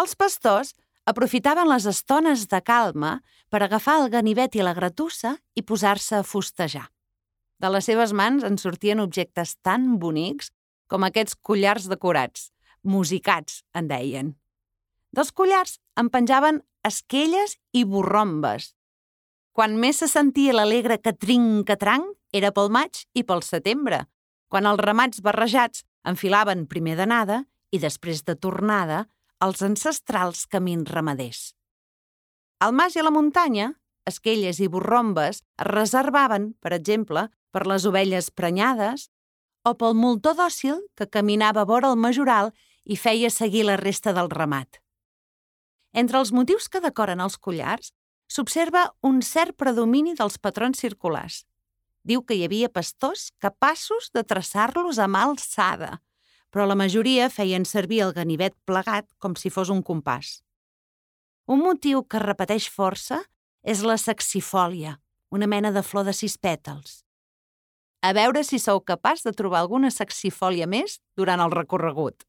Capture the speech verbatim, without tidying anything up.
Els pastors aprofitaven les estones de calma per agafar el ganivet i la gratussa i posar-se a fustejar. De les seves mans en sortien objectes tan bonics com aquests collars decorats, musicats, en deien. Dels collars en penjaven esquelles i borrombes. Quan més se sentia l'alegre catrinc-catranc era pel maig i pel setembre, quan els ramats barrejats enfilaven primer d'anada i després de tornada els ancestrals camins ramaders. Al mas i a la muntanya, esquelles i borrombes es reservaven, per exemple, per les ovelles prenyades o pel moltó dòcil que caminava vora el majoral i feia seguir la resta del ramat. Entre els motius que decoren els collars s'observa un cert predomini dels patrons circulars. Diu que hi havia pastors capaços de traçar-los a mà alçada, però la majoria feien servir el ganivet plegat com si fos un compàs. Un motiu que repeteix força és la saxifòlia, una mena de flor de sis pètals. A veure si sou capaç de trobar alguna saxifòlia més durant el recorregut.